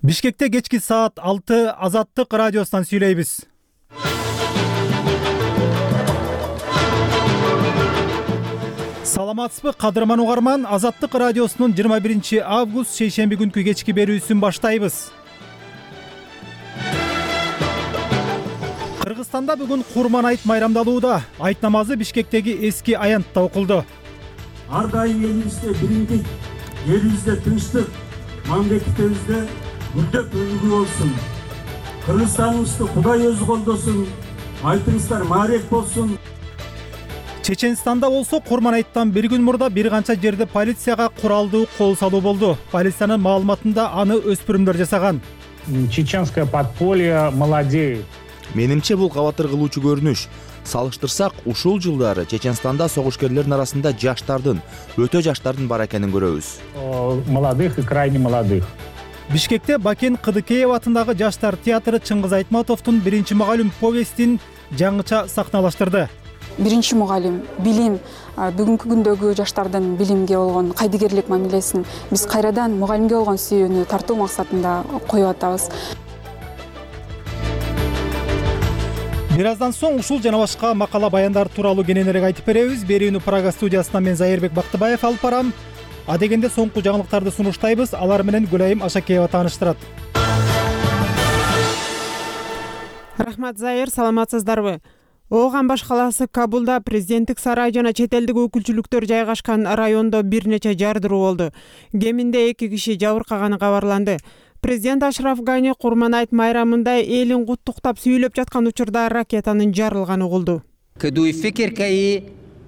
Бишкекте кечки саат 6 Азаттык радиосунан сүйлөйбүз. Саламатсызбы кадырман угарман, Азаттык радиосунун 21 август шейшемби күнкү кечки берүүсүн баштайбыз. Кыргызстанда бүгүн Курман айт майрамдалууда. Айт намазы Бишкектеги эски аянтта окулду. Ар дайым элибизде биримдик, элибизде тынчтык, мамлекетибизде мүрдөп өнүгүү болсун. Кыргызстаныбызды Кудай өзү колдосун. Айтыңыздар маарек болсун. Чеченстанда болсо Курман айттан бир күн мурда бир канча жерде полицияга куралдуу кол салуу болду. Полициянын маалыматында аны өспүрүмдөр жасаган. Чеченское подполье молодеет. Менимче бул кабатыр кылуучу көрүнүш. Салыштырсак, ушул жылдары Чеченстанда согушкерлердин арасында өтө жаштардын бар экенин көрөбүз. Молодых и крайне молодых. Бишкекте Бакен Кыдыкеев атындагы жаштар театры Чыңгыз Айтматовдун биринчи мугалим повестин жаңыча сахналаштырды. Биринчи мугалим билим, бүгүнкү күндөгү жаштардын билимге болгон кайдыгерлик мамилесин биз кайрадан мугалимге болгон сүйүүнү тартуу максатында коюп атабыз. Бир аздан соң ушул жана башка макала баяндар тууралуу кененирээк айтып беребиз. Берүүнү Прага студиясынан мен Зайырбек Бактыбаев алып барам. Адегенде соңку жаңылыктарды сунуштайбыз. Алар менен Гүлайым Ашакеева тааныштырат. Рахмат Зайыр, саламатсыздарбы? Ооган баш калаасы Кабулда президенттик сарай жана чет элдик өкүлчүлүктөр жайгашкан райондо бир нече жардыруу болду. Кеминде 2 киши жабыркаганы кабарланды. Президент Ашраф Гани Курман айт майрамында элин куттуктап сүйлөп жаткан учурда ракетанын жарылганы угулду.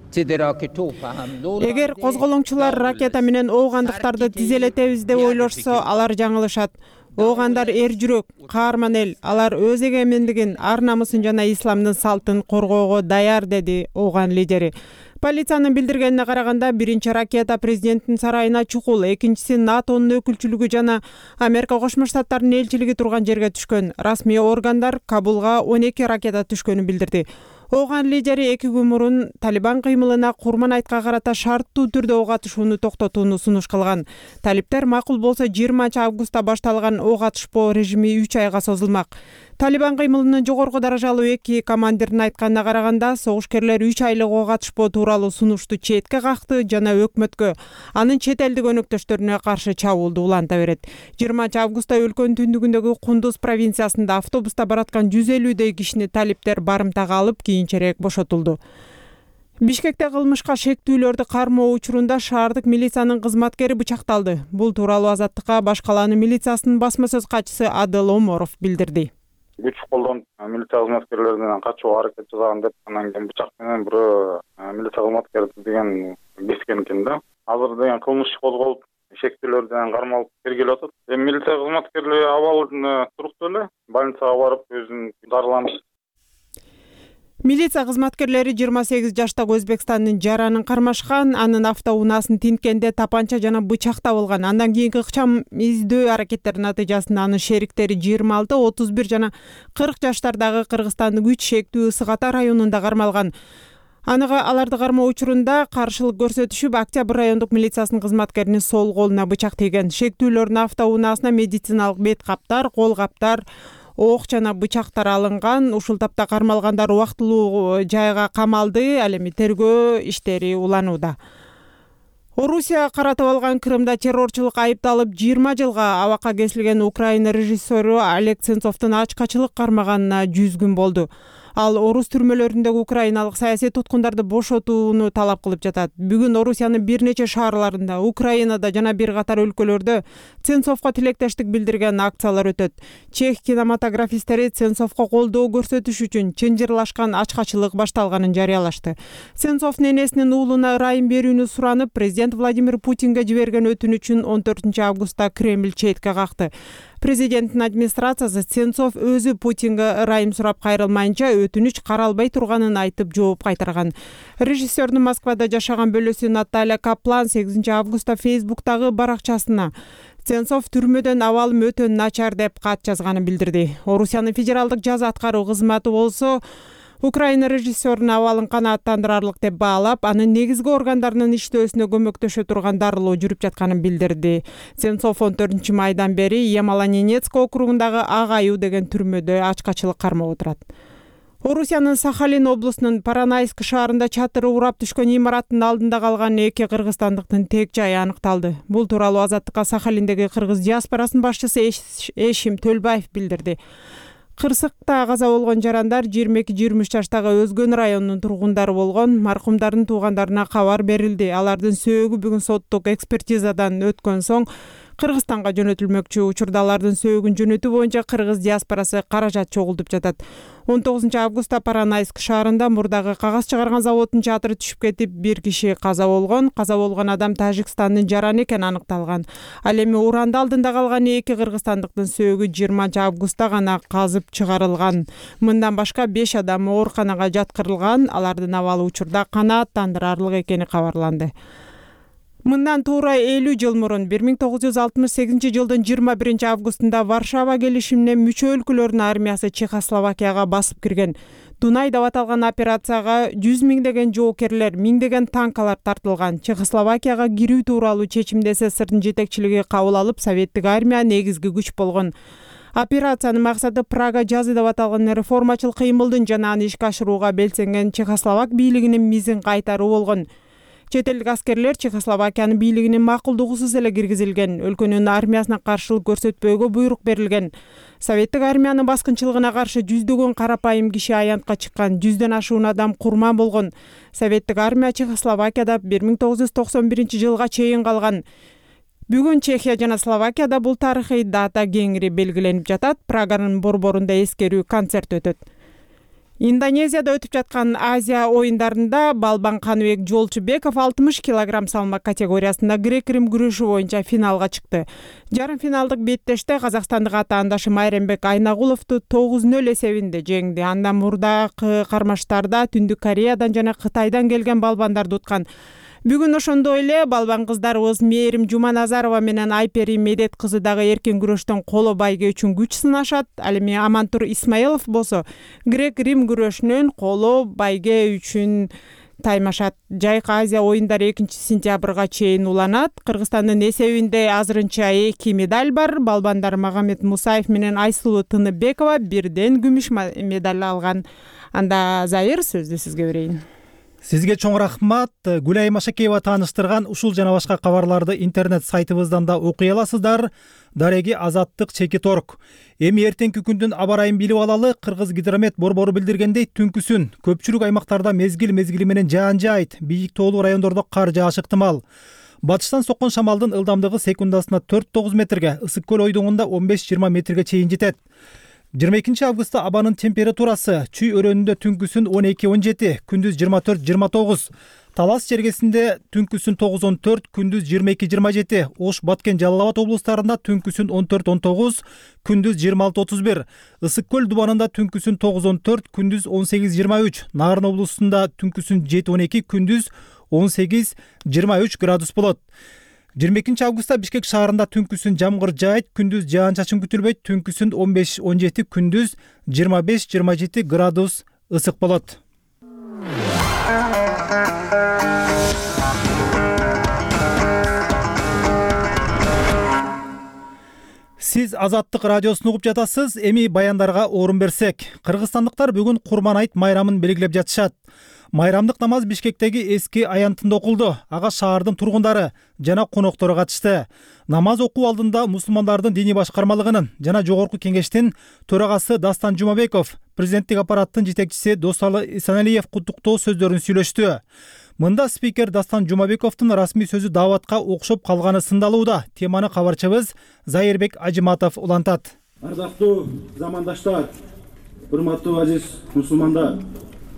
Эгер козголоңчулар ракета менен оогандыктарды тизелетебиз деп ойлошсо, алар жаңылышат. Оогандар эр жүрөк, каарман эл, алар өз эгемендигин, ар намысын жана исламдын салтын коргоого даяр, деди ооган лидери. Полициянын билдиргенине караганда, биринчи ракета президенттин сарайына чукул, экинчиси НАТОнун өкүлчүлүгү жана Америка Кошмо Штаттарынын элчилиги турган жерге түшкөн. Расмий органдар Кабулга 12 ракета түшкөнүн билдирди. Ооган лидери 2 күн мурун Талибан кыймылына Курман айтка карата шарттуу түрдө ок атышууну токтотууну сунуш кылган. Талиптер макул болсо 20 августта башталган ок атышпоо режими 3 айга созулмак. Талибан кыймылынын жогорку даражалуу 2 командирдин айтканына караганда, согушкерлер 3 айлык ок атышпоо тууралуу сунушту четке какты жана өкмөткө, анын чет элдик өнөктөштөрүнө каршы чабуулду уланта берет. 20 августта өлкөнүн түндүгүндөгү Кундуз провинциясында автобуста бараткан 150 кишини талиптер барымтага алып, кийинчерээк бошотулду. Бишкекте кылмышка шектүүлөрдү кармоо учурунда шаардык милициянын кызматкери бычакталды. Бул тууралуу Азаттыкка баш калаанын милициясынын басма сөз катчысы Адыл Оморов билдирди. Күч колдонуп милиция кызматкерлеринен качууга аракет жасаган деп, анан кийин бычак менен бирөө милиция кызматкери деген кескен экен да. Азыр деген кылмыш козголуп, шектүүлөрдөн кармалып тергелип атат. Милиция кызматкерлери абалы туруктуу эле, больницага барып өзүн дарыланды. Милиция кызматкерлери 28 жаштагы Өзбекстандын жаранын кармашкан, анын автоунаасын тинткенде тапанча жана бычак табылган. Андан кийинки ыкчам издөө аракеттеринин натыйжасында анын шериктери 26, 31 жана 40 жаштардагы Кыргызстандын күч шектүү Ысык Ата районунда кармалган. Аларды кармоо учурунда каршылык көрсөтүшүп, Октябрь райондук милициясынын кызматкеринин сол колуна бычак тийген. Шектүүлөрдүн автоунаасына медициналык бет каптар, кол каптар, ок жана бычактар алынган. Ушул тапта кармалгандар убактылуу жайга камалды. Ал эми тергөө иштери уланууда. Орусия каратып алган Крымда террорчулук айыпталып 20 жылга абакка кесилген Украина режиссеру Олег Сенцовдун ачкачылык кармаганына 100 күн болду. Ал орус түрмөлөрүндөгү украиналык саясий туткундарды бошотууну талап кылып жатат. Бүгүн Орусиянын бир нече шаарларында, Украинада жана бир катар өлкөлөрдө Сенцовго тилектештик билдирген акциялар өтөт. Чех кинематографисттери Сенцовго колдоо көрсөтүш үчүн чынжырлашкан ачкачылык башталганын жарыялашты. Сенцов ненесинин уулуна ырайым берүүнү суранып, президент Владимир Путинге жиберген өтүнүчүн 14 августта Кремль четке какты. Президенттин администрациясы Сенцов өзү Путинге ырайым сурап кайрылмайынча өтүнүч каралбай турганын айтып жооп кайтарган. Режиссердин Москвада жашаган бөлөсү Наталья Каплан 8 августта Фейсбуктагы баракчасына Сенцов түрмөдөн абалым өтө начар деп кат жазганын билдирди. Орусиянын федералдык жаза аткаруу кызматы болсо Украина режиссерунун абалын канааттандырарлык деп баалап, анын негизги органдарынын иштөөсүнө көмөктөшө турган дарылоо жүрүп жатканын билдирди. Сенцов 14 майдан бери Ямало-Ненецк округундагы Ак Аюу деген түрмөдө ачкачылык кармап отурат. Орусиянын Сахалин облусунун Паранайск шаарында чатыры урап түшкөн имараттын алдында калган 2 кыргызстандыктын тек жайы аныкталды. Бул тууралуу Азаттыкка Сахалиндеги кыргыз диаспорасынын башчысы Эшим Төлбаев билдирди. Кырсыкта каза болгон жарандар 22-23 жаштагы Өзгөн районунун тургундары болгон. Маркумдардын туугандарына кабар берилди. Алардын сөөгү бүгүн соттук экспертизадан өткөн соң Кыргызстанга жөнөтүлмөкчү. Учурда алардын сөөгүн жөнөтүү боюнча кыргыз диаспорасы каражат чогултуп жатат. 19 августта Паранайск шаарында мурдагы кагаз чыгарган заводдун чатыры түшүп кетип, 1 киши каза болгон. Каза болгон адам Тажикстандын жараны экени аныкталган. Ал эми уранды алдында калган 2 кыргызстандыктын сөөгү 20 августта гана казып чыгарылган. Мындан башка 5 адам ооруканага жаткырылган. Алардын абалы учурда канааттандырарлык экени кабарланды. Мындан туура 50 жыл мурун 1968 жылдын 21 августунда Варшава келишимине мүчө өлкөлөрдүн армиясы Чехословакияга басып кирген. Дунай деп аталган операцияга 100 миңдеген жоокерлер, миңдеген танкалар тартылган. Чехословакияга кирүү тууралуу чечимди СССРдин жетекчилиги кабыл алып, советтик армия негизги күч болгон. Операциянын максаты Прага жазы деп аталган реформачыл кыймылдын жана аны ишке ашырууга белсенген Чехословак бийлигинин мизин кайтаруу болгон. Чет элдик аскерлер Чехословакиянын бийлигинин макулдугусуз эле киргизилген. Өлкөнүн армиясына каршылык көрсөтпөөгө буйрук берилген. Советтик армиянын баскынчылыгына каршы жүздөгөн карапайым киши аянтка чыккан, 100дөн ашуун адам курман болгон. Советтик армия Чехословакияда 1991 жылга чейин калган. Бүгүн Чехия жана Словакияда бул тарыхый дата кеңири белгиленип жатат. Праганын борборунда эскерүү концерт өтөт. Индонезияда өтүп жаткан Азия оюндарында Балбан Каныбек Жолчубеков 60 кг салмак категориясында грек-рим күрөшү боюнча финалга чыкты. Жарым финалдык беттеште казакстандык атаандашы Майрембек Айнагуловду 9-0 эсебинде жеңди. Андан мурдагы кармаштарда Түндүк Кореядан жана Кытайдан келген балбандарды уткан. Бүгүн ошондой эле балбан кыздарыбыз Мээрим Жуманазарова менен Айпери Медет кызы дагы эркин күрөштөн коло байге үчүн күч сынашат. Ал эми Амантур Исмаилов болсо грек-рим күрөшүнөн коло байге үчүн таймашат. Жайкы Азия оюндары 2-сентябрга чейин уланат. Кыргызстандын эсебинде азырынча 2 медаль бар. Балбандар Магомед Мусаев менен Айсулуу Тыныбекова бирден күмүш медаль алган. Анда Заир, сөздү сизге берейин. Сизге чоң рахмат. Гүлай Машакеева тааныштырган ушул жана башка кабарларды интернет сайтыбыздан да окуй аласыздар. Дареги Азаттык _org. Эми эртеңки күндүн аба ырайын билип алалы. Кыргыз гидромет борбору билдиргендей, түнкүсүн көпчүлүк аймактарда мезгил менен жаан жаайт. Бийик тоолуу райондордо кар жаашы ыктымал. Батыштан соккон шамалдын ылдамдыгы секундасына 4-9 метрге, Ысык көл ойдуңунда 15-20 метрге чейин жетет. 22 августта абанын температурасы Чүй өрөөнүндө түнкүсүн 12-17, күндүз 24-29, Талас жергесинде түнкүсүн 9-14, күндүз 22-27, Ош, Баткен, Жалал Абад облустарында түнкүсүн 14-19, күндүз 26-31, Ысык көл дубанында түнкүсүн 9-14, күндүз 18-23, Нарын облусунда түнкүсүн 7-12, күндүз 18-23 градус болот. 22 августта Бишкек шаарында түнкүсүн жамгыр жаайт, күндүз жаан-чачын күтүлбөйт, түнкүсүн 15-17, күндүз 25-27 градус ысык болот. Сиз Азаттык радиосун угуп жатасыз. Эми баяндарга орун берсек, кыргызстандыктар бүгүн Курман айт майрамын белгилеп жатышат. Майрамдык намаз Бишкектеги эски аянтында окулду. Ага шаардын тургундары жана коноктору катышты. Намаз окуу алдында мусулмандардын диний башкармалыгынын жана жогорку кеңештин төрагасы Дастан Жумабеков, президенттик аппараттын жетекчиси Досалы Исаналиев куттуктоо сөздөрүн сүйлөштү. Мында спикер Дастан Жумабековдун расмий сөзү дааватка окшоп калганы сындалууда. Теманы кабарчыбыз Заирбек Ажиматов улантат. Ардактуу замандаштар, урматтуу азиз мусулмандар,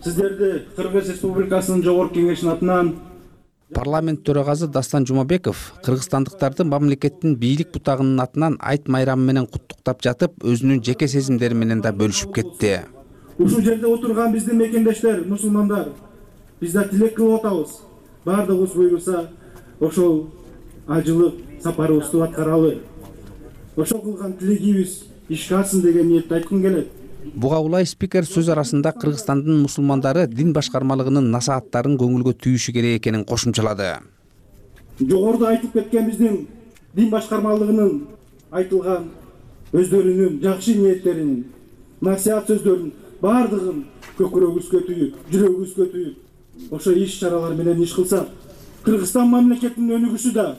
сиздерди Кыргыз Республикасынын жогорку кеңешинин атынан Парламент төрагасы Дастан Жумабеков кыргызстандыктарды мамлекеттин бийлик бутагынын атынан айт майрамы менен куттуктап жатып, өзүнүн жеке сезимдери менен да бөлүшүп кетти. Ушул жерде отурган биздин мекендештер, мусулмандар, биз да тилек кылып атабыз. Бардыгыбыз буйруса, ошол ажылык сапарыбызды аткаралы. Ошол кылган тилегибиз ишке ашсын деген ниетти айткым келет. Буга улай спикер сөз арасында Кыргызстандын мусулмандары дин башкармалыгынын насааттарын көңүлгө түйүшү керек экенин кошумчалады. Жогоруда айтып кеткен биздин дин башкармалыгынын айтылган өздөрүнүн жакшы ниеттеринин, насаат сөздөрүнүн бардыгын көкүрөгүбүзгө түйүп, жүрөгүбүзгө түйүп, ошо иш чаралар менен иш кылсак, Кыргызстан мамлекетинин өнүгүшү да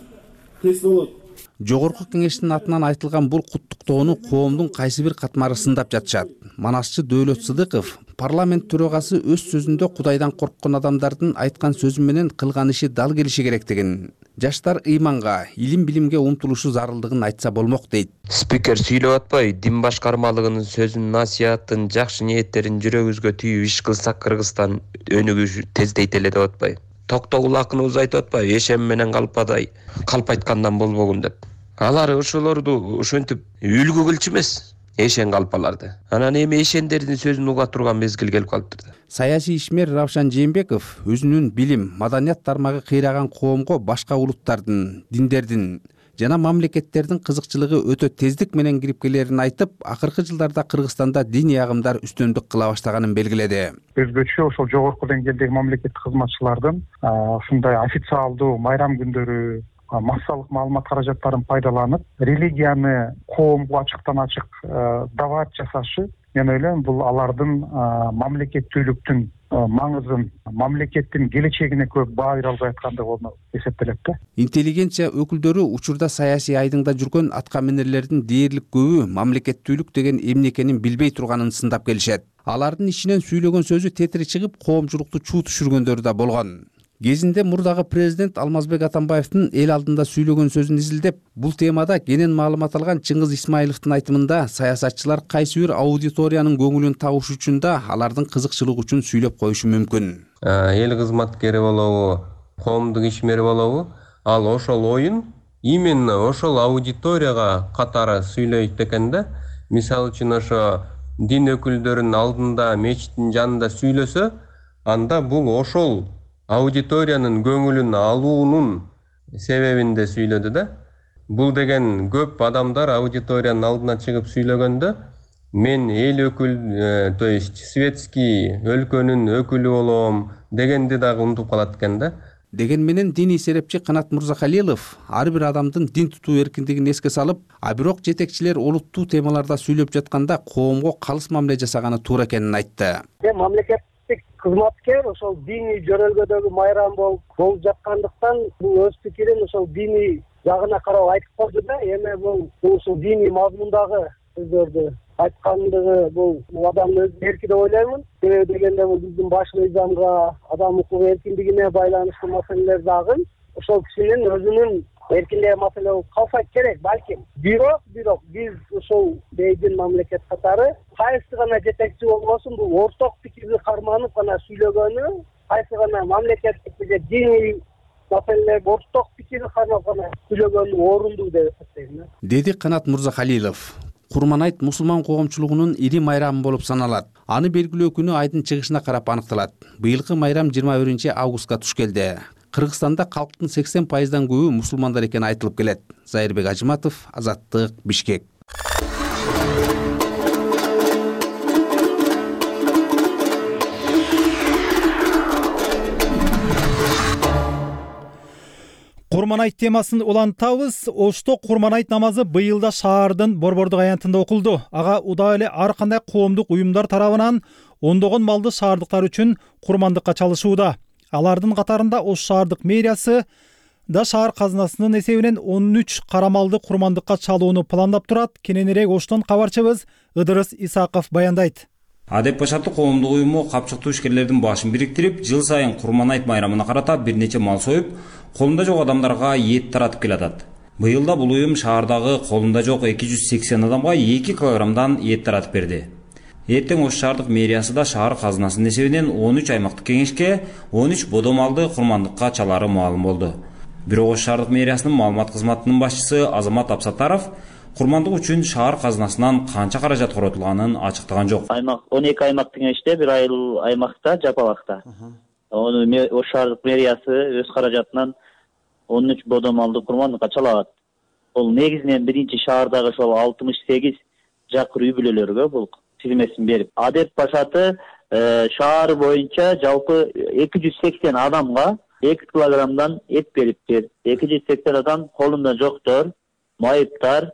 тез болот. Жогорку кеңештин атынан айтылган бул куттуктоону коомдун кайсы бир катмары сындап жатышат. Манасчы Дөөлөт Сыдыков парламент төрагасы өз сөзүндө Кудайдан корккон адамдардын айткан сөзү менен кылган иши дал келиши керектигин, жаштар ыйманга, илим билимге умтулушу зарылдыгын айтса болмок дейт. Спикер сүйлөп атпайбы, дин башкармалыгынын сөзүн, насаатын, жакшы ниеттерин жүрөгүбүзгө түйүп иш кылсак Кыргызстан өнүгүшү тездейт эле деп атпайбы. Токтогул акыныбыз айтып атпайбы, эшем менен калпадай, калп айткандан болбогун деп. Алар ошолорду ошентип үлгү кылчу эмес, эшен калпаларды. Анан эми эшендердин сөзүн уга турган мезгил келип калыптыр. Саясий ишмер Равшан Жээнбеков өзүнүн билим, маданият тармагы кыйраган коомго башка улуттардын, диндердин жана мамлекеттердин кызыкчылыгы өтө тездик менен кирип келерин айтып, акыркы жылдарда Кыргызстанда диний агымдар үстөмдүк кыла баштаганын белгиледи. Өзгөчө ошол жогорку деңгээлдеги мамлекеттик кызматчылардын ушундай официалдуу майрам күндөрү, массалык маалымат каражаттарын пайдаланып, религияны коомго ачыктан ачык даваат жасашы, мен ойлойм, бул алардын мамлекеттүүлүктүн маңызын, мамлекеттин келечегине көп баа бере албай аткандыгы болуп эсептелет да. Интеллигенция өкүлдөрү учурда саясий айдыңда жүргөн атка минерлердин дээрлик көбү мамлекеттүүлүк деген эмне экенин билбей турганын сындап келишет. Алардын ичинен сүйлөгөн сөзү тетири чыгып, коомчулукту чуу түшүргөндөрү да болгон. Кезинде мурдагы президент Алмазбек Атамбаевдин эл алдында сүйлөгөн сөзүн изилдеп, бул темада кенен маалымат алган Чыңгыз Исмаиловдун айтымында саясатчылар кайсы бир аудиториянын көңүлүн табыш үчүн да алардын кызыкчылыгы үчүн сүйлөп коюшу мүмкүн. Эл кызматкери болобу, коомдук ишмери болобу, ал ошол оюн именно ошол аудиторияга катары сүйлөйт экен да. Мисалы үчүн ошо дин өкүлдөрүнүн алдында, мечиттин жанында сүйлөсө, анда бул ошол аудиториянын көңүлүн алуунун себебинде сүйлөдү да. Бул деген көп адамдар аудиториянын алдына чыгып сүйлөгөндө мен эл өкүл, то есть светский өлкөнүн өкүлү болом дегенди дагы унутуп калат экен да. Деген менен диний серепчи Канат Мырзахалилов ар бир адамдын дин тутуу эркиндигин эске салып, а бирок жетекчилер олуттуу темаларда сүйлөп жатканда коомго калыс мамиле жасаганы туура экенин айтты. Мамлекеттик кызматкер ошол диний жөрөлгөдөгү майрам болуп жаткандыктан бул өз пикирин ошол диний жагына карап айтып койду да. Эми бул ушул диний мазмундагы сөздөрдү айткандыгы бул адамдын өз эрки деп ойлоймун. Себеби дегенде бул биздин башкы мыйзамга, адам укук эркиндигине байланыштуу маселелер дагы ошол кишинин өзүнүн эркиндеги маселе болуп калса керек балким. Бирок биз ошол бейдин мамлекет катары кайсы гана жетекчи болбосун бул орток пикирди карманып гана сүйлөгөнү, кайсы гана мамлекеттик же диний маселелер орток пикирди кармап гана сүйлөгөнү орунду деп эсептейм. Деди Канат Мырзахалилов. Курманайт мусулман коомчулугунун ири майрамы болуп саналат. Аны белгилөө күнү айдын чыгышына карап аныкталат. Быйылкы майрам 21-августка туш келди. Кыргызстанда калктын 80%дан көбү мусулмандар экени айтылып келет. Зайырбек Ажыматов, Азаттык, Бишкек. Курманайт темасын улантабыз. Ошто Курманайт намазы быйылда шаардын Борбордук аянтында окулду. Ага удаа эле ар кандай коомдук уюмдар тарабынан ондогон малды шаардыктар үчүн курмандыкка чалышууда. Алардын катарында Ош шаардык мэриясы да шаар казынасынын эсебинен 13 кара малды курмандыкка чалууну пландап турат. Кененирээк Оштон кабарчыбыз Ыдырыс Исаков баяндайт. Адеп башаттуу коомдук уюму капчыктуу ишкерлердин башын бириктирип, жыл сайын Курманайт майрамына карата бир нече мал союп, колунда жок адамдарга эт таратып келатат. Быйылда бул уюм шаардагы колунда жок 280 адамга 2 килограммдан эт таратып берди. Эртең Ош шаардык мэриясы да шаар казынасынын эсебинен 13 аймактык кеңешке 13 бодо малды курмандыкка чалары маалым болду. Бирок Ош шаардык мэриясынын маалымат кызматынын башчысы Азамат Абсатаров курмандык үчүн шаар казынасынан канча каражат коротулганын ачыктаган жок. 12 аймактык кеңеште, бир айыл аймакта, Жапалакта. Ош шаардык мэриясы өз каражатынан 13 бодо малды курмандыкка чалат. Бул негизинен биринчи шаардагы ошол 68 жакыр үй бүлөлөргө бул тизмесин берип, Адеп Башаты шаар боюнча жалпы 280 адамга 2 килограммдан эт бериптир. 280 адам колунда жоктор, майыптар,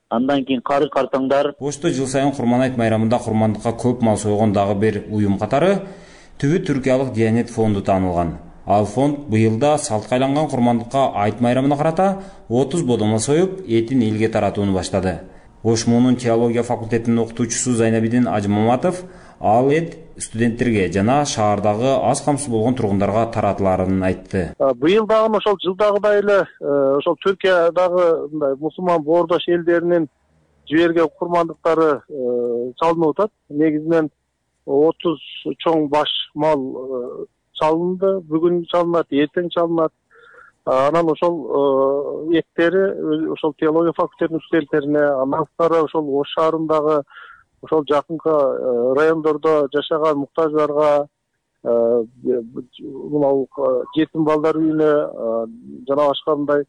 андан кийин кары картаңдар. Ошто жыл сайын Курманайт майрамында курмандыкка көп мал сойгон дагы бир уюм катары түбү Түркиялык Диянет фонду таанылган. Ал фонд быйылда салтка айланган курмандыкка айт майрамына карата 30 бодомо союп, этин элге таратууну баштады. Ош муунун теология факультетинин окутуучусу Зайнабидин Ажымаматов ал эт студенттерге жана шаардагы аз камсыз болгон тургундарга таратыларын айтты. Быйыл дагы ошол жылдагыдай эле ошол Түркиядагы мындай мусулман боордош элдеринин жиберген курмандыктары чалынып атат. Негизинен 30 чоң баш мал чалынды, бүгүн чалынат, эртең чалынат. Анан ошол эттери ошол теология факультетинин студенттерине, андан тышкары ошол Ош шаарындагы ошол жакынкы райондордо жашаган муктаждарга, мына жетим балдар үйүнө жана башка мындай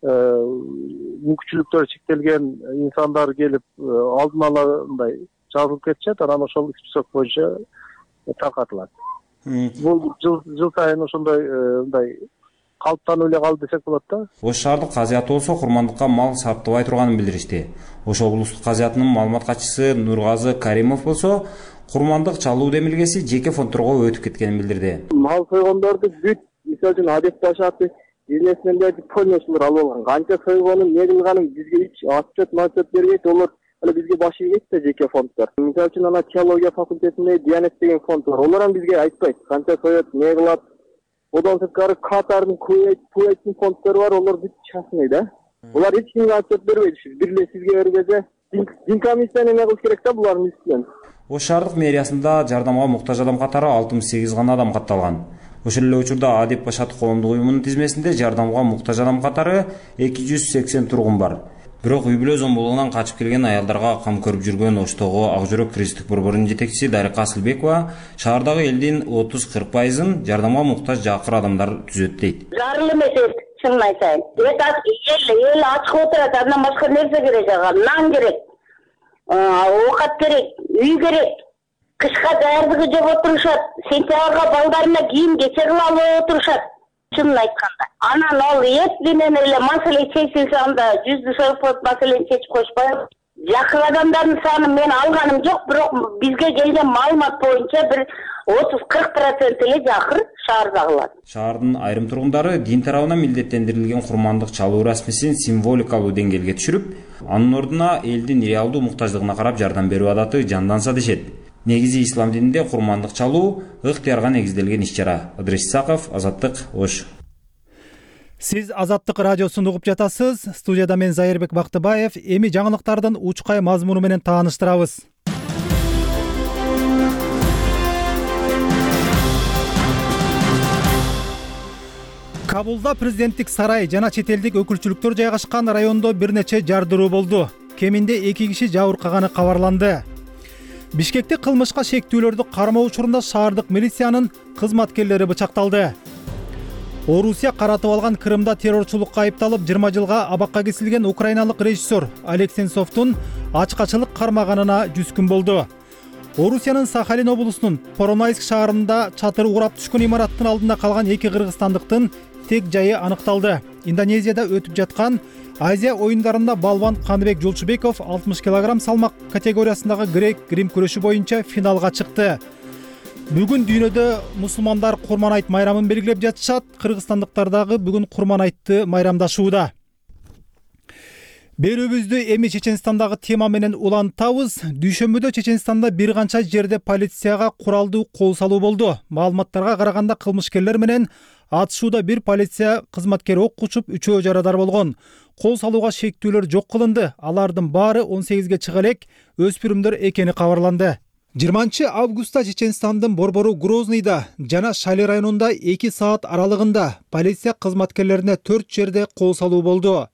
мүмкүнчүлүктөрү чектелген инсандар келип алдын ала мындай жазылып кетишет, анан ошол список боюнча таркатылат. Бул жыл сайын ошондой мындай калыптанып эле калды десек болот да. Ош шаардык казыяты болсо курмандыкка мал сарптабай турганын билдиришти. Ошол улустук казыятынын маалымат катчысы Нургазы Каримов болсо курмандык чалуу демилгеси жеке фондторго өтүп кеткенин билдирди. Мал сойгондорду бүт, мисалы үчүн Адеп Башаты бизнесмендерди полностью алып алган. Канча сойгонун, не кылганын бизге эч отчет бербейт. Олар бизге баш ийет да жеке фонддор. Мисалы үчүн ана теология факультетинде Диянет деген фонд бар. Олар бизге айтпайт канча соет, не кылат. Одан сырткары Катардын Куэйттин фонддору бар, олар бүт частный да. Олар эч кимге отчет бербейт. Бир эле сизге бергенде Динкомиссияны эме кылыш керек да булардын үстүнөн. Ош шаардык мэриясында жардамга муктаж адам катары 68 гана адам катталган. Ошол эле учурда Адеп Башаты коомдук уюмунун тизмесинде жардамга муктаж адам катары 280 тургун бар. Бирок үй бүлө зомбулугунан качып келген аялдарга кам көрүп жүргөн Оштогу Ак жүрөк кристик борборунун жетекчиси Дарика Асылбекова шаардагы элдин 30-40%ын жардамга муктаж жакыр адамдар түзөт дейт. Зарыл эмес, чынын айтайын. Эл ачык отурат, андан башка нерсе керек ага? Нан керек, оокат керек, үй керек. Кышка даярдыгы жок отурушат. Сентябрга балдарына кийим кече кылып алып отурушат. Чынын айтканда. Анан ал эт менен эле маселе чечилсе анда 100% маселени чечип коюшпайбы? Жакын адамдардын санын мен алганым жок, бирок бизге келген маалымат боюнча бир 30-40% эле жакыр шаардагылар. Шаардын айрым тургундары дин тарабына милдеттендирилген курмандык чалуу расмисин символикалуу деңгээлге түшүрүп, анын ордуна элдин реалдуу муктаждыгына карап жардам берүү адаты жанданса дешет. Негизи ислам дининде курмандык чалуу ыктыярга негизделген иш-чара. Ыдырыс Исаков, Азаттык, Ош. Сиз Азаттык радиосун угуп жатасыз. Студияда мен Зайырбек Бактыбаев. Эми жаңылыктардын учкай мазмуну менен тааныштырабыз. Кабулда президенттик сарай жана чет элдик өкүлчүлүктөр жайгашкан райондо бир нече жардыруу болду. Кеминде 2 киши жабыркаганы кабарланды. Бишкекте кылмышка шектүүлөрдү кармоо учурунда шаардык милициянын кызматкерлери бычакталды. Орусия каратып алган Крымда террорчулукка айыпталып 20 жылга абакка кесилген украиналык режиссер Олег Сенцовдун ачкачылык кармаганына 100 күн болду. Орусиянын Сахалин облусунун Поронайск шаарында чатыры урап түшкөн имараттын алдында калган 2 кыргызстандыктын тек жайы аныкталды. Индонезияда өтүп жаткан Азия оюндарында балбан Каныбек Жолчубеков 60 кг салмак категориясындагы грек-рим күрөшү боюнча финалга чыкты. Бүгүн дүйнөдө мусулмандар Курманайт майрамын белгилеп жатышат. Кыргызстандыктар дагы бүгүн Курманайтты майрамдашууда. Берүүбүздү эми Чеченстандагы тема менен улантабыз. Дүйшөмбүдө Чеченстанда бир канча жерде полицияга куралдуу кол салуу болду. Маалыматтарга караганда кылмышкерлер менен атышууда бир полиция кызматкери ок учуп, 3-өө жарадар болгон. Кол салууга шектүүлөр жок кылынды. Алардын баары 18ге чыга элек өспүрүмдөр экени кабарланды. 20 августта Чеченстандын борбору Грозныйда жана Шали районунда 2 саат аралыгында полиция кызматкерлерине 4 жерде кол салуу болду.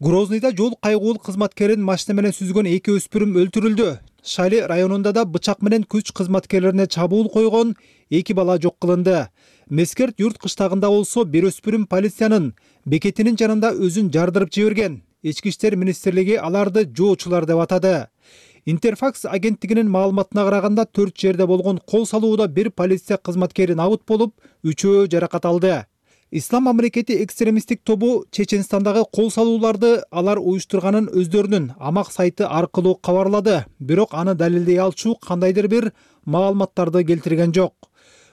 Грозныйда жол кайгуул кызматкерин машина менен сүзгөн 2 өспүрүм өлтүрүлдү. Шали районунда да бычак менен күч кызматкерлерине чабуул койгон 2 бала жок кылынды. Мескерт юрт кыштагында болсо бир өспүрүм полициянын бекетинин жанында өзүн жардырып жиберген. Ички иштер министрлиги аларды жоочулар деп атады. Интерфакс агенттигинин маалыматына караганда 4 жерде болгон кол салууда бир полиция кызматкери набыт болуп, 3-өө жаракат алды. Ислам мамлекети экстремисттик тобу Чеченстандагы кол салууларды алар уюштурганын өздөрүнүн амак сайты аркылуу кабарлады, бирок аны далилдей алчу кандайдыр бир маалыматтарды келтирген жок.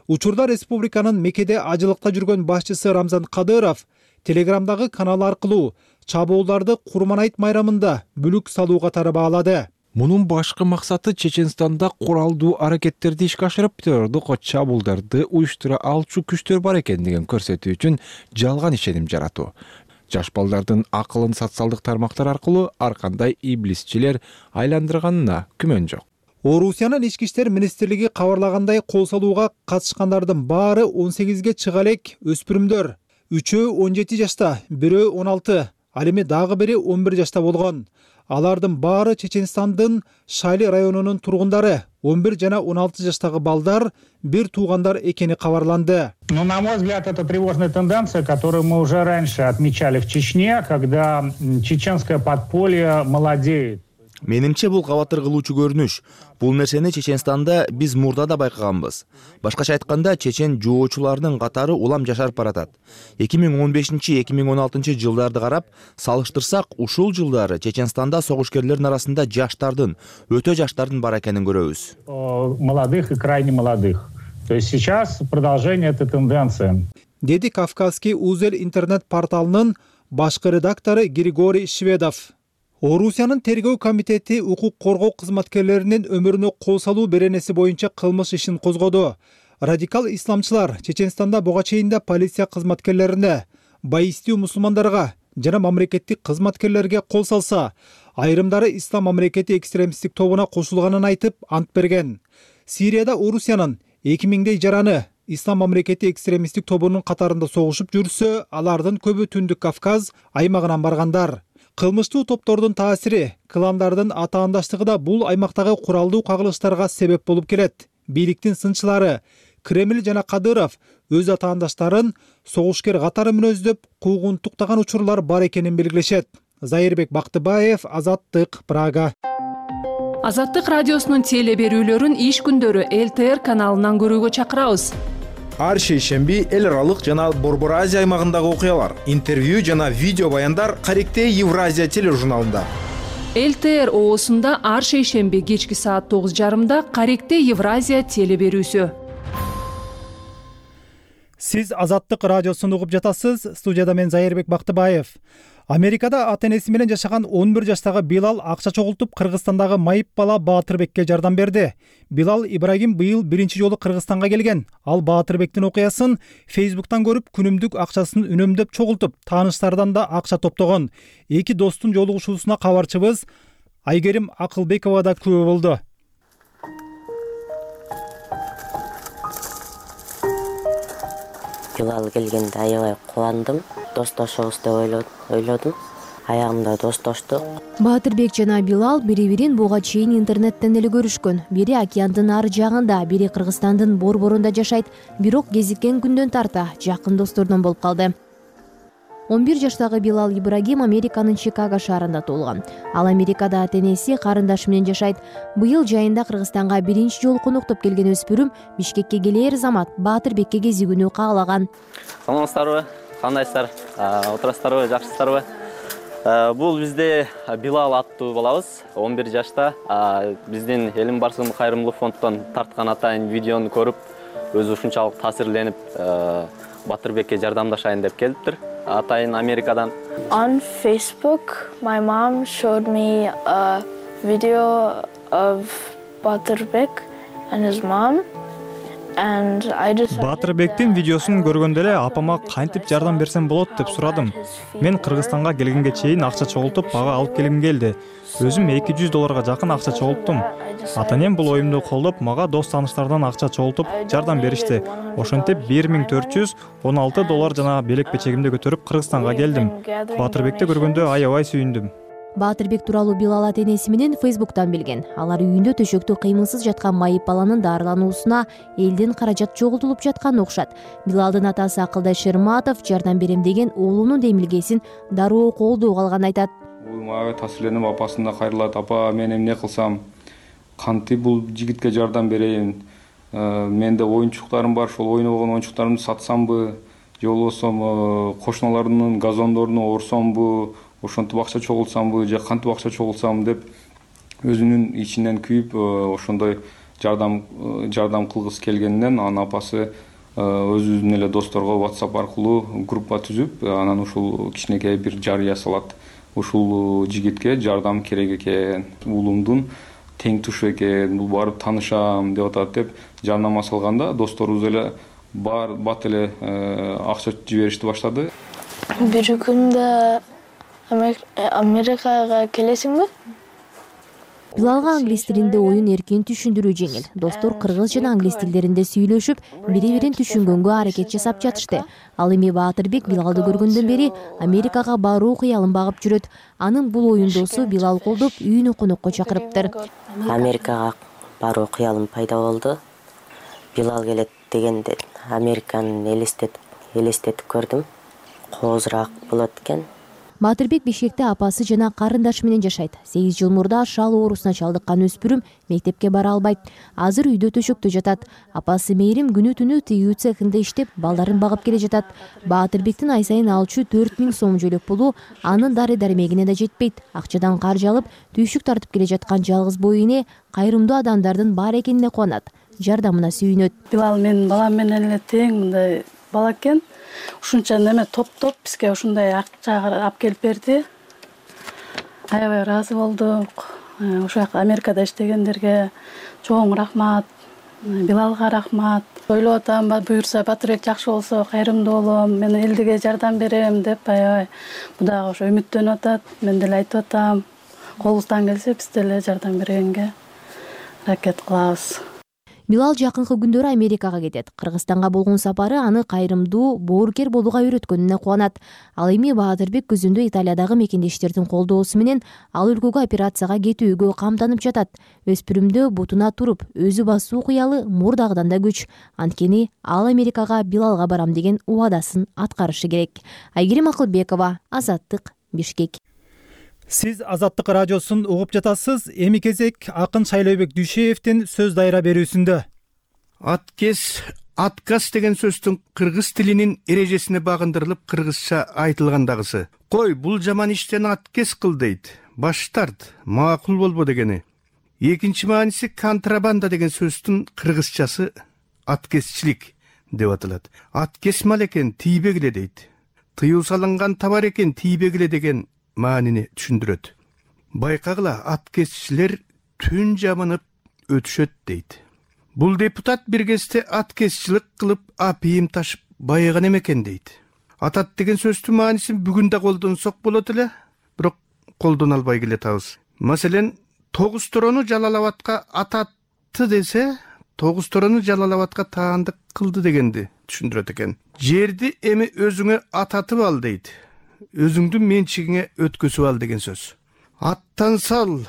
Учурда республиканын Меккеде ажылыкта жүргөн башчысы Рамзан Кадыров Телеграмдагы каналы аркылуу чабуулдарды Курманайт майрамында бүлүк салуу катары баалады. Мунун башкы максаты Чеченстанда куралдуу аракеттерди ишке ашырып, террордук чабуулдарды уюштура алчу күчтөр бар экендигин көрсөтүү үчүн жалган ишеним жаратуу. Жаш балдардын акылын социалдык тармактар аркылуу ар кандай иблисчилер айландырганына күмөн жок. Орусиянын ички иштер министрлиги кабарлагандай, кол салууга катышкандардын баары 18ге чыга элек өспүрүмдөр. 3-өө 17 жашта, 1-өө 16, ал эми дагы бири 11 жашта болгон. Алардын баары Чеченстандын Шайли районунун тургундары, 11 жана 16 жаштагы балдар бир туугандар экени кабарланды. Но, на мой взгляд, это тревожная тенденция, которую мы уже раньше отмечали в Чечне, когда чеченское подполье молодеет. Менимче бул кабатыр кылуучу көрүнүш. Бул нерсени Чеченстанда биз мурда да байкаганбыз. Башкача айтканда, чечен жоочуларынын катары улам жашарып баратат. 2015-2016 жылдарды карап, салыштырсак, ушул жылдары Чеченстанда согушкерлердин арасында жаштардын, өтө жаштардын бар экенин көрөбүз. Молодых и крайне молодых. То есть сейчас продолжение этой тенденции. Деди Кавказский узел интернет-порталынын башкы редактору Григорий Шведов. Орусиянын тергөө комитети укук коргоо кызматкерлеринин өмүрүнө кол салуу беренеси боюнча кылмыш ишин козгоду. Радикал исламчылар Чеченстанда буга чейин полиция кызматкерлерине, баистүү мусулмандарга жана мамлекеттик кызматкерлерге кол салса, айрымдары Ислам мамлекети экстремисттик тобуна кошулганын айтып ант берген. Сирияда Орусиянын 2000дей жараны Ислам мамлекети экстремисттик тобунун катарында согушуп жүрсө, алардын көбү Түндүк Кавказ аймагынан баргандар. Кылмыштуу топтордун таасири, кландардын атаандаштыгы да бул аймактагы куралдуу кагылыштарга себеп болуп келет. Бийликтин сынчылары Кремль жана Кадыров өз атаандаштарын согушкер катары мүнөздөп куугунтуктаган учурлар бар экенин белгилешет. Зайырбек Бактыбаев, Азаттык, Прага. Азаттык радиосунун теле берүүлөрүн иш күндөрү ЛТР каналынан көрүүгө чакырабыз. Ар шейшемби эл аралык жана Борбор Азия аймагындагы окуялар, интервью жана видео баяндар Каректей Евразия тележурналында. ЛТР оосунда ар шейшемби кечки саат 9:30 Каректей Евразия теле берүүсү. Сиз Азаттык радиосун угуп жатасыз. Студияда мен Зайырбек Бактыбаев. Америкада ата-энеси менен жашаган 11 жаштагы Билал акча чогултуп Кыргызстандагы майып бала Баатырбекке жардам берди. Билал Ибрагим быйыл биринчи жолу Кыргызстанга келген. Ал Баатырбектин окуясын Фейсбуктан көрүп, күнүмдүк акчасын үнөмдөп чогултуп, тааныштардан да акча топтогон. Эки достун жолугушуусуна кабарчыбыз Айгерим Акылбекова да күбө болду. Билал келгенде аябай кубандым. Достошобуз деп ойлодум. Аягында достоштук. Баатырбек жана Билал бири-бирин буга чейин интернеттен эле көрүшкөн. Бири океандын ар жагында, бири Кыргызстандын борборунда жашайт. Бирок кезиккен күндөн тарта жакын достордон болуп калды. 11 жаштагы Билал Ибрагим Американын Чикаго шаарында туулган. Ал Америкада ата-энеси, карындашы менен жашайт. Быйыл жайында Кыргызстанга биринчи жолу коноктоп келген өспүрүм Бишкекке келээр замат Баатырбекке кезигүүнү каалаган. Саламатсыздарбы? Кандайсыздар? Отурасыздарбы? Жакшысыздарбы? Бул бизде Билал аттуу балабыз, 11 жашта. Биздин Элим Барсын кайрымдуулук фонддон тарткан атайын видеону көрүп, өзү ушунчалык таасирленип, Батырбекке жардамдашайын деп келиптир. Атайын Америкадан. On Facebook, my mom showed me a video of Baturbek and his mom. Баатырбектин видеосун көргөндө эле апама кантип жардам берсем болот деп сурадым. Мен Кыргызстанга келгенге чейин акча чогултуп, ага алып келгим келди. Өзүм $200 жакын акча чогулттум. Ата-энем бул оюмду колдоп, мага дос тааныштардан акча чогултуп, жардам беришти. Ошентип $1416 жана белек печегимди көтөрүп Кыргызстанга келдим. Баатырбекти көргөндө аябай сүйүндүм. Баатырбек тууралуу Билал ата-энеси менен Фейсбуктан билген. Алар үйүндө төшөктө кыймылсыз жаткан майып баланын дарылануусуна элден каражат чогултулуп жаткан окшот. Билалдын атасы Акылдай Шерматов жардам берем деген уулунун демилгесин дароо колдоо калганын айтат. Бул мага таасирленип апасына кайрылат. Апа, мен эмне кылсам? кантип бул жигитке жардам берейин, менде оюнчуктарым бар, ошол ойноп алган оюнчуктарымды сатсамбы же болбосо кошуналардын газондоруна орсомбу, ошентип акча чогултсамбы же кантип акча чогултсам деп өзүнүн ичинен күйүп ошондой жардам кылгысы келгенинен анын апасы өзүнүн эле досторго WhatsApp аркылуу группа түзүп, анан ушул кичинекей бир жарыя салат. Ушул жигитке жардам керек экен, уулумдун тең тушу экен, бул барып таанышам деп атат деп жарнама салганда досторубуз эле бат эле акча жиберишти баштады. Бир күндө Америкага келесиңби? Билалга англис тилинде оюн эркин түшүндүрүү жеңил. Достор кыргыз жана англис тилдеринде сүйлөшүп, бири-бирин түшүнгөнгө аракет жасап жатышты. Ал эми Баатырбек Билалды көргөндөн бери Америкага баруу кыялын багып жүрөт. Анын бул оюндосу Билал колдоп үйүнө конокко чакырыптыр. Америкага баруу кыялым пайда болду. Билал келет дегенде Американы элестетип көрдүм. Коозураак болот экен. Баатырбек Бишкекте апасы жана карындашы менен жашайт. 8 жыл мурда шал оорусуна чалдыккан өспүрүм мектепке бара албайт. Азыр үйдө төшөктө жатат. Апасы Мээрим күнү-түнү тыюу цехинде иштеп, балдарын багып келе жатат. Баатырбектин ай сайын алчу 4000 сом жөлөк пулу анын дары-дармегине да жетпейт. Акчадан каржы алып, түйшүк тартып келе жаткан жалгыз бой эне кайрымдуу адамдардын бар экенине кубанат. Жардамына сүйүнөт. Билал менин балам менен эле тең мындай бала экен. Ушунча неме топтоп бизге ушундай акча алып келип берди. Аябай ыраазы болдук. Ошол жакта Америкада иштегендерге чоң рахмат. Билалга рахмат. Ойлоп атам, буюрса Батырбек жакшы болсо кайрымдуу болом, мен элдиге жардам берем деп аябай дагы ошо үмүттөнүп атат. Мен деле айтып атам, колубуздан келсе биз деле жардам бергенге аракет кылабыз. Билал жакынкы күндөрү Америкага кетет. Кыргызстанга болгон сапары аны кайрымдуу, боорукер болууга үйрөткөнүнө кубанат. Ал эми Баатырбек күзүндө Италиядагы мекендештердин колдоосу менен ал өлкөгө операцияга кетүүгө камданып жатат. Өспүрүмдө бутуна туруп, өзү басуу кыялы мурдагыдан да күч. Анткени ал Америкага Билалга барам деген убадасын аткарышы керек. Айгерим Акылбекова, Азаттык, Бишкек. Сиз Азаттык радиосун угуп жатасыз. Эми кезек акын Шайлообек Дүйшеевдин сөз дайра берүүсүндө. Отказ деген сөздүн кыргыз тилинин эрежесине багындырылып кыргызча айтылгандагысы. Кой, бул жаман иштен отказ кыл дейт. Баш тарт, макул болбо дегени. Экинчи мааниси контрабанда деген сөздүн кыргызчасы отказчилик деп аталат. Отказ мал экен, тийбегиле дейт. Тыюу салынган товар экен, тийбегиле деген маанини түшүндүрөт. Байкагыла, отказчилер түн жамынып өтүшөт дейт. Бул депутат бир кезде отказчылык кылып апийим ташып байыган экен дейт. Атат деген сөздүн маанисин бүгүн да колдонсок болот эле, бирок колдоно албай келатабыз. Маселен, Тогуз Торону Жалал-Абадка ататты десе, Тогуз Торону Жалал-Абадка таандык кылды дегенди түшүндүрөт экен. Жерди эми өзүңө ататып ал дейт. Өзүңдүн менчигиңе өткөзүп ал деген сөз. Аттан сал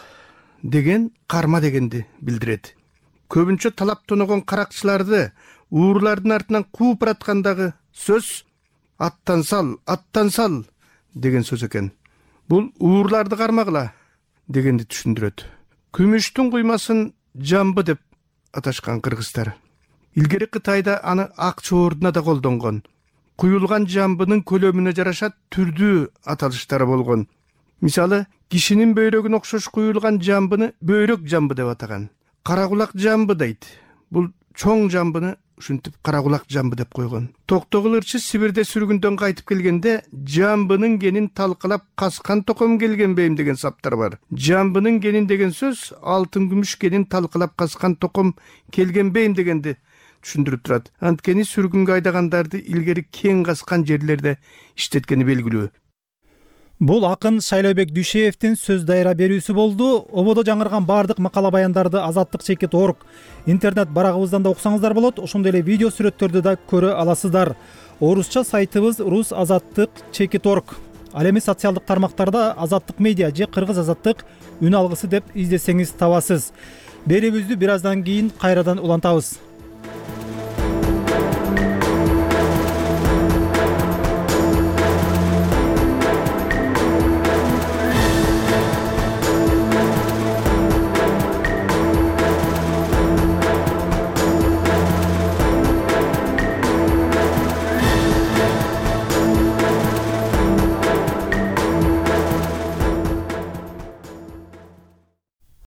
деген карма дегенди билдирет. Көбүнчө талап тоногон каракчыларды уурлардын артынан кууп бараткандагы сөз аттан сал деген сөз экен. Бул уурларды кармагыла дегенди түшүндүрөт. Күмүштүн куймасын жамбы деп аташкан кыргыздар. Илгери Кытайда аны ак чоордуна да колдонгон. Куюлган жамбынын көлөмүнө жараша түрдүү аталыштары болгон. Мисалы, кишинин бөйрөгүнө окшош куюлган жамбыны бөйрөк жамбы деп атаган. Каракулак жамбы дейт. Бул чоң жамбыны ушинтип каракулак жамбы деп койгон. Токтогул ырчы Сибирде сүргүндөн кайтып келгенде жамбынын генин талкалап каскан током келгенбейм деген саптар бар. Жамбынын генин деген сөз алтын күмүш генин талкалап каскан током келгенбейм дегенди түшүндүрүп турат. Анткени сүргүнгө айдагандарды илгери кең каскан жерлерде иштеткени белгилүү. Бул акын Шайлообек Дүйшеевдин сөз дайра берүүсү болду. Ободо жаңырган бардык макала баяндарды Азаттык.org интернет барагыбыздан да окусаңыздар болот. Ошондой эле видео сүрөттөрдү да көрө аласыздар. Орусча сайтыбыз rus.azattyk.org. Ал эми социалдык тармактарда Азаттык медиа же Кыргыз Азаттык үн алгысы деп издесеңиз табасыз. Берүүбүздү бир аздан кийин кайрадан улантабыз.